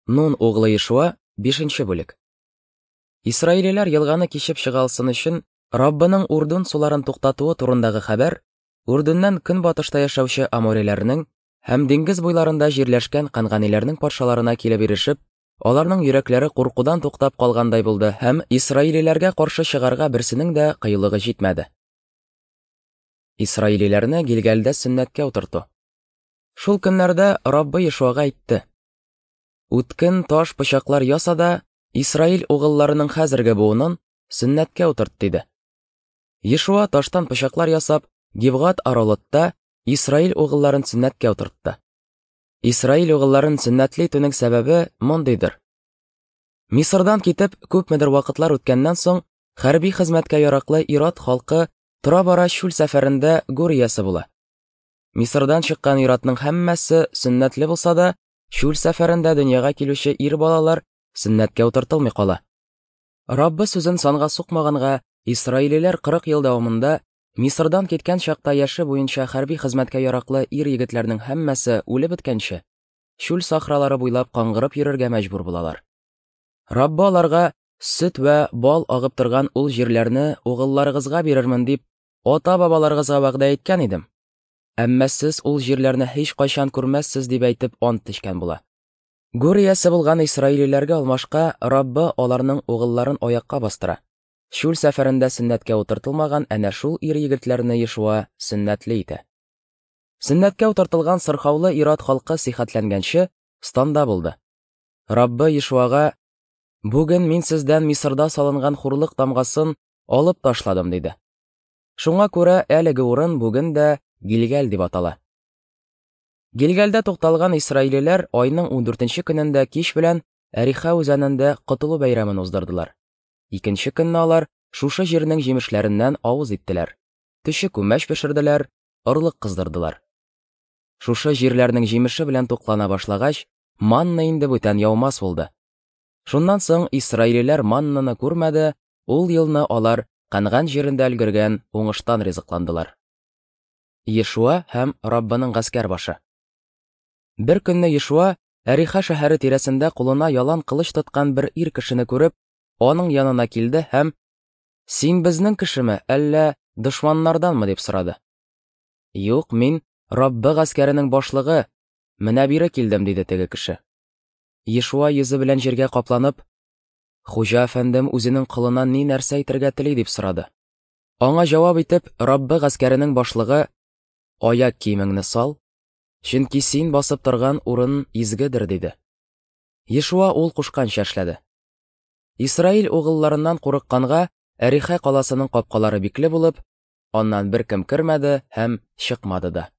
Нун углы Ешуа, 5 бүлек. Исраилиләр елганы кичеп чыга алсын өчен, Раббының Урдун суларын туктатуы турындагы хәбәр Урдуннан көнбатышта яшәүче амориләрнең һәм диңгез буйларында җирләшкән канганиләрнең патшаларына килеп ирешеп, аларның йөрәкләре куркудан туктап калгандай булды һәм исраилиләргә каршы чыгарга берсенең дә кыюлыгы җитмәде. Исраилиләрне Гилгалдә сөннәткә утырту. Шул көннәрдә Раббы Ешуага әйтте: Үткен таш пычаклар яса да, Исраил угылларының хәзерге буынын сөннәткә утырт, диде. Ешуа таштан пычаклар ясап, Гибгат Аралотта Исраил угылларын сөннәткә утыртты. Исраил угылларын сөннәтле итүнең сәбәбе мондыйдыр. Мисырдан китеп, күпмедер вакытлар үткәннән соң, хәрби хезмәткә яраклы ир-ат халкы тора-бара чүл сәфәрендә гүр иясе була. Мисырдан чыккан ир-атның һәммәсе сөннәтле булса да, чүл сәфәрендә дөньяга килүче ир балалар сөннәткә утыртылмый кала. Раббы сүзен санга сукмаганга, исраилиләр 40 ел дәвамында Мисырдан киткән чакта яше буенча хәрби хезмәткә яраклы ир-егетләрнең һәммәсе үлеп беткәнче, чүл сахралары буйлап каңгырып йөрергә мәҗбүр булалар. Раббы аларга сөт вә бал агып торган ул җирләрне угылларыгызга бирермен дип, ата-бабаларыгызга вәгъдә иткән идем. Әмма сез ул җирләрне һичкайчан күрмәссез дип әйтеп ант эчкән була. Гүр иясе булган исраилиләргә алмашка Раббы аларның угылларын аякка бастыра. Чүл сәфәрендә сөннәткә утыртылмаган әнә шул ир-егетләрне Ешуа сөннәтле итә. Сөннәткә утыртылган сырхаулы ир-ат халкы сихәтләнгәнче станда булды. Раббы Ешуага: "Бүген мин сездән Мисырда салынган хурлык тамгасын алып ташладым", диде. Шуңа күрә әлеге урын бүген дә Гилгәл дип атала. Гилгәлдә тукталган исраилиләр айның 14 көнендә кич белән Әриха үзәнендә котылу бәйрәмен уздырдылар. Икенче көнне алар шушы җирнең җимешләреннән авыз иттеләр. Төче күмәч пешерделәр, орлык кыздырдылар. Шушы җирләрнең җимеше белән туклана башлагач, манна инде бүтән яумас булды. Шуннан соң исраилиләр маннаны күрмәде, ул елны алар Канган җирендә өлгергән уңыштан ризыкландылар. Ешуа һәм Раббының гаскәр башы. Бер көнне Ешуа Әриха шәһәре тирәсендә кулына ялан кылыч тоткан бер ир кешене күреп, аның янына килде һәм: "Син безнең кешеме, әллә дошманнарданмы?" дип сорады. "Юк, мин Раббы гаскәренең башлыгы, менә бире килдем", диде теге кеше. Ешуа йөзе белән җиргә капланып, Хуҗа әфәндем үзенең колына ни нәрсә әйтергә тели дип сорады. Аңа җавап итеп, Раббы гаскәренең башлыгы: "Аяк киемеңне сал, чөнки син басып торган урын изгедер", диде. Ешуа ул кушканча эшләде. Исраил угылларыннан курыкканга, Әриха каласының капкалары бикле булып, аннан беркем кермәде һәм чыкмады да.